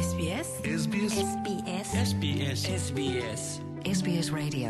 SBS. SBS. SBS. SBS. SBS. SBS Radio.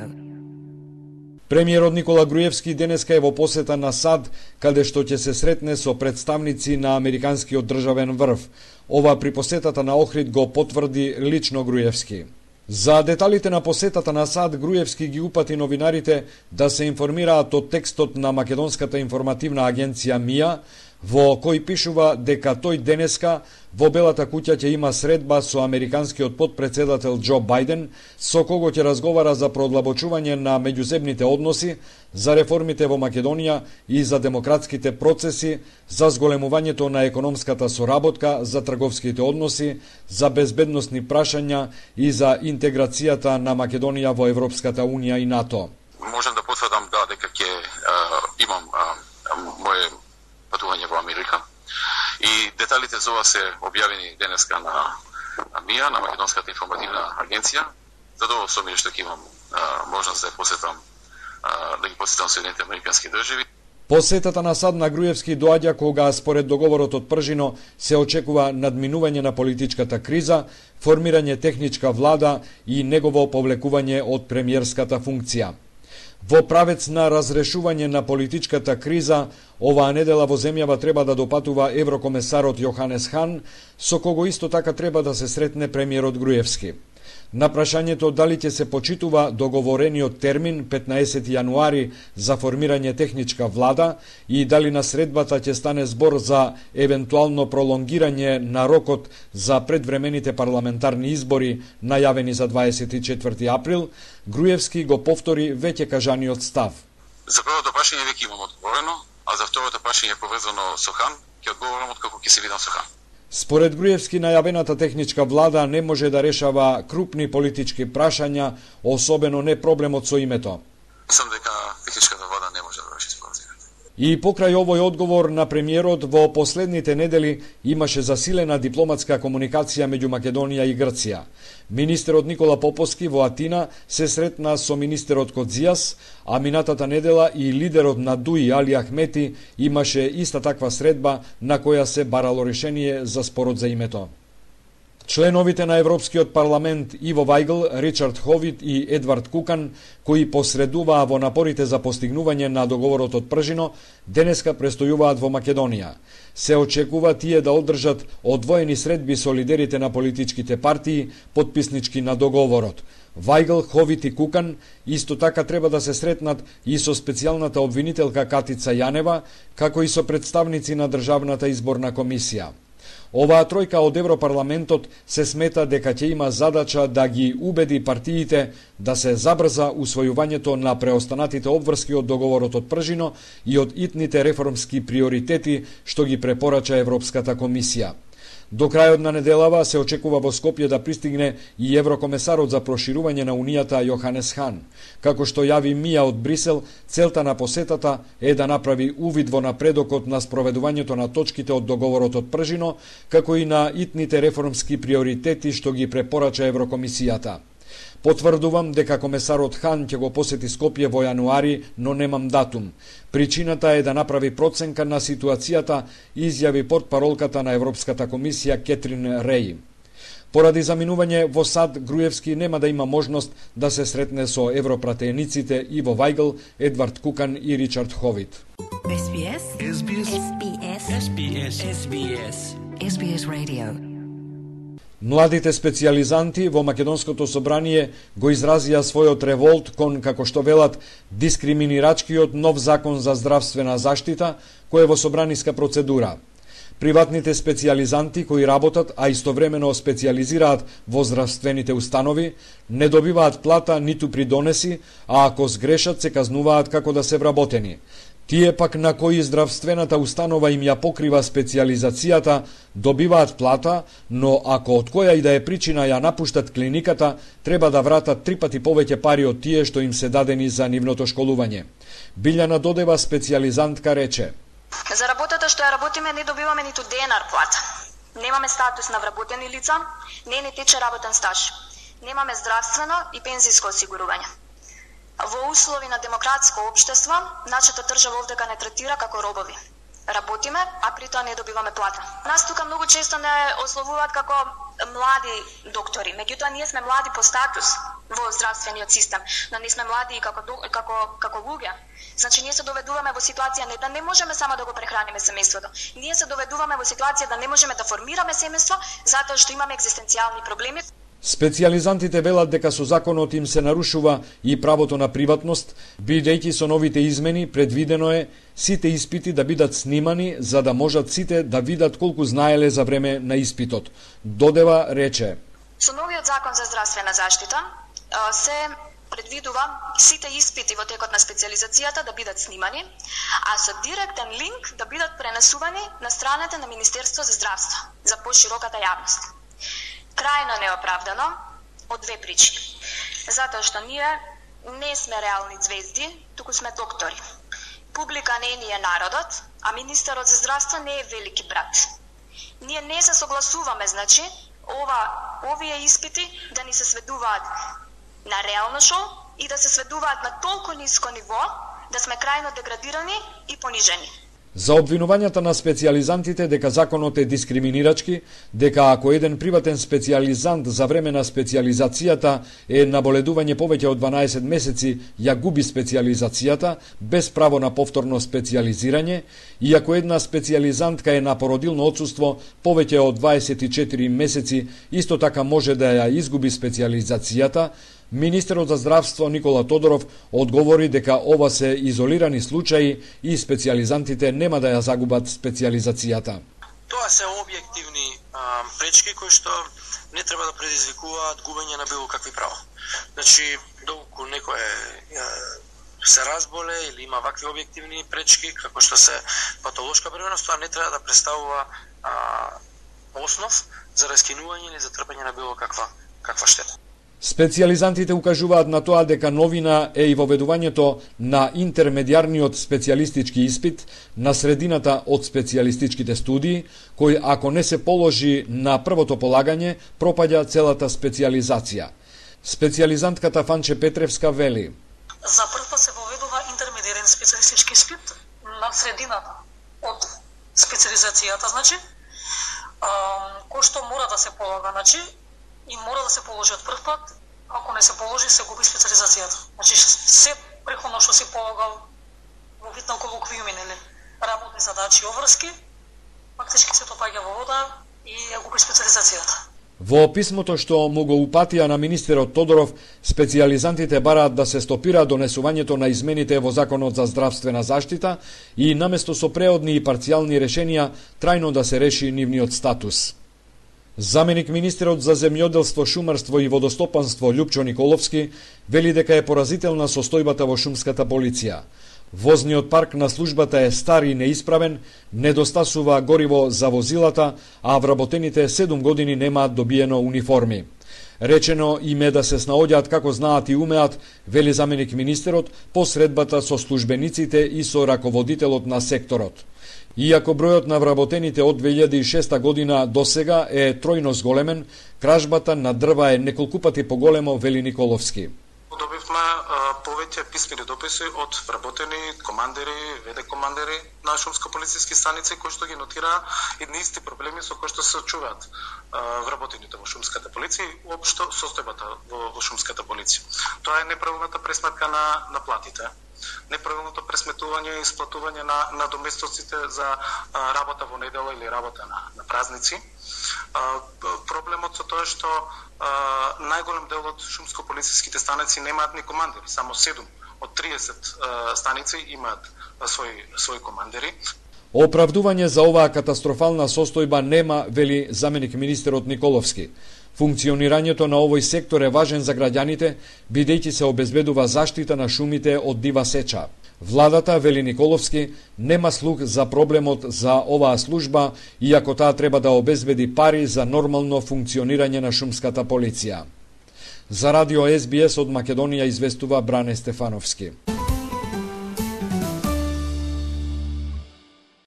Премиерот Никола Груевски денеска е во посета на САД, каде што ќе се сретне со представници на американскиот државен врв. Ова при посетата на Охрид го потврди лично Груевски. За деталите на посетата на САД, Груевски ги упати новинарите да се информираат од текстот на Македонската информативна агенција МИА, во кој пишува дека тој денеска во Белата куќа ќе има средба со американскиот потпредседател Џо Бајден, со кого ќе разговара за продлабочување на меѓуземните односи, за реформите во Македонија и за демократските процеси, за зголемувањето на економската соработка, за трговските односи, за безбедносни прашања и за интеграцијата на Македонија во Европската Унија и НАТО. Можам да потврдам дека ќе имам моje патување во Америка. И деталите за ова се објавени денеска на МИА, на Македонската информативна агенција. Задоволство ми е што ќе имам можност да ги посетам Соединените американски држави. Посетата на САД на Груевски доаѓа кога според договорот од Пржино се очекува надминување на политичката криза, формирање техничка влада и негово повлекување од премиерската функција. Во правец на разрешување на политичката криза, оваа недела во земјава треба да допатува еврокомесарот Јоханес Хан, со кого исто така треба да се сретне премиерот Груевски. На прашањето дали ќе се почитува договорениот термин 15 јануари за формирање техничка влада и дали на средбата ќе стане збор за евентуално пролонгирање на рокот за предвремените парламентарни избори најавени за 24 април, Груевски го повтори веќе кажаниот став. За првото прашање веќе имам одговорено, а за второто прашање поврзано со Хан, ќе одговорам откако ќе се видам со Хан. Според Груевски, најавената техничка влада не може да решава крупни политички прашања, особено не проблемот со името. Мислам дека техничката влада не може да реши споразумот. И покрај овој одговор на премиерот, во последните недели имаше засилена дипломатска комуникација меѓу Македонија и Грција. Министерот Никола Поповски во Атина се сретна со министерот Кодзијас, а минатата недела и лидерот на ДУИ Али Ахмети имаше иста таква средба на која се барало решение за спорот за името. Членовите на Европскиот парламент Иво Вајгл, Ричард Ховит и Едвард Кукан, кои посредуваа во напорите за постигнување на договорот од Пржино, денеска престојуваат во Македонија. Се очекува тие да одржат одвоени средби со лидерите на политичките партии, потписнички на договорот. Вајгл, Ховит и Кукан исто така треба да се сретнат и со специјалната обвинителка Катица Јанева, како и со представници на Државната изборна комисија. Оваа тројка од Европарламентот се смета дека ќе има задача да ги убеди партиите да се забрза усвојувањето на преостанатите обврски од договорот од Пржино и од итните реформски приоритети што ги препорача Европската комисија. До крајот на неделава се очекува во Скопје да пристигне и еврокомесарот за проширување на Унијата Јоханес Хан. Како што јави МИА од Брисел, целта на посетата е да направи увид во напредокот на спроведувањето на точките од договорот од Пржино, како и на итните реформски приоритети што ги препорача Еврокомисијата. Потврдувам дека комесарот Хан ќе го посети Скопје во јануари, но немам датум. Причината е да направи проценка на ситуацијата, изјави портпаролката на Европската комисија Кетрин Реј. Поради заминување во САД, Груевски нема да има можност да се сретне со европратениците Иво Вајгл, Едвард Кукан и Ричард Ховит. SBS. SBS. SBS. SBS. SBS. SBS Radio. Младите специјализанти во Македонското собрание го изразија својот револт кон, како што велат, дискриминирачкиот нов закон за здравствена заштита, кој е во собраниска процедура. Приватните специјализанти кои работат, а истовремено специјализираат во здравствените установи, не добиваат плата ниту придонеси, а ако сгрешат се казнуваат како да се вработени. Тие пак на кои здравствената установа им ја покрива специјализацијата, добиваат плата, но ако од која и да е причина ја напуштат клиниката, треба да вратат 3 пати повеќе пари од тие што им се дадени за нивното школување. Билјана Додева, специјализантка, рече: За работата што ја работиме не добиваме ниту денар плата. Немаме статус на вработени лица, не ни тече работен стаж. Немаме здравствено и пензиско осигурување. Во услови на демократско општество, нашата држава овдека не третира како робови. Работиме, а при тоа не добиваме плата. Нас тука многу често не ословуваат како млади доктори, меѓутоа ние сме млади по статус во здравствениот систем, но не сме млади и како луѓе. Значи ние се доведуваме во ситуација не да не можеме само да го прехраниме семејството. Ние се доведуваме во ситуација да не можеме да формираме семејство затоа што имаме екзистенцијални проблеми. Специјализантите велат дека со законот им се нарушува и правото на приватност, бидејќи со новите измени предвидено е сите испити да бидат снимани за да можат сите да видат колку знаеле за време на испитот. Додева рече: Со новиот закон за здравствена заштита се предвидува сите испити во текот на специјализацијата да бидат снимани, а со директен линк да бидат пренесувани на страната на Министерство за здравство за пошироката јавност. Крајно неоправдано од две причини. Затоа што ние не сме реални звезди, туку сме доктори. Публика не ни е народот, а министерот за здравство не е велики брат. Ние не се согласуваме, значи, овие испити да ни се сведуваат на реално шоу и да се сведуваат на толку ниско ниво да сме крајно деградирани и понижени. За обвинувањата на специјализантите дека законот е дискриминирачки, дека ако еден приватен специјализант за време на специјализацијата е на боледување повеќе од 12 месеци, ја губи специјализацијата без право на повторно специјализирање, и ако една специјализантка е на породилно отсуство повеќе од 24 месеци, исто така може да ја изгуби специјализацијата. Министерот за здравство Никола Тодоров одговори дека ова се изолирани случаи и специјализантите нема да ја загубат специјализацијата. Тоа се објективни пречки кои што не треба да предизвикуваат губење на било какви права. Значи, доколку некој се разболе или има вакви објективни пречки, како што се патолошка бременност, тоа не треба да представува основ за раскинување или за трпење на било каква штета. Специјализантите укажуваат на тоа дека новина е и воведувањето на интермедијарниот специјалистички испит на средината од специјалистичките студии, кој ако не се положи на првото полагање, пропаѓа целата специјализација. Специјализантката Фанче Петревска вели: За прв пат се воведува интермедијарен специјалистички испит на средината од специјализацијата, значи, кој што мора да се полага, значи, и мора да се положи од прв пат, ако не се положи, се губи специјализацијата. Значи, се преходно што си полагал во вид на колоквиуми, или работни задачи и обврски, фактички се топаѓа во вода и ја губи специјализацијата. Во писмото што му го упатија на министерот Тодоров, специјализантите бараат да се стопира донесувањето на измените во Законот за здравствена заштита и наместо со преодни и парцијални решенија, трајно да се реши нивниот статус. Заменик министерот за земјоделство, шумарство и водостопанство Љупчо Николовски вели дека е поразителна состојбата во шумската полиција. Возниот парк на службата е стар и неисправен, недостасува гориво за возилата, а вработените 7 години немаат добиено униформи. Речено им е да се снаоѓаат како знаат и умеат, вели заменик министерот, по средбата со службениците и со раководителот на секторот. Иако бројот на вработените од 2006 година до сега е тројно зголемен, кражбата на дрва е неколку пати поголемо, вели Николовски. Добивме повеќе писмени дописи од вработени командери, ВД командери на шумско-полициски станици кои што ги нотираа едни исти проблеми со кои што се очуваат вработените во шумската полиција и општо состојбата во шумската полиција. Тоа е неправилната пресметка на платите, неправилното пресметување и исплатување на доместоците за работа во недела или работа на празници. Проблемот со тоа што најголем дел од шумско-полициските станици немаат ни командери, само 7 од 30 станици имаат своји командери. Оправдување за оваа катастрофална состојба нема, вели заменик министерот Николовски. Функционирањето на овој сектор е важен за граѓаните, бидејќи се обезбедува заштита на шумите од дива сеча. Владата, вели Николовски, нема слух за проблемот за оваа служба, иако таа треба да обезбеди пари за нормално функционирање на шумската полиција. За радио СБС од Македонија известува Бране Стефановски.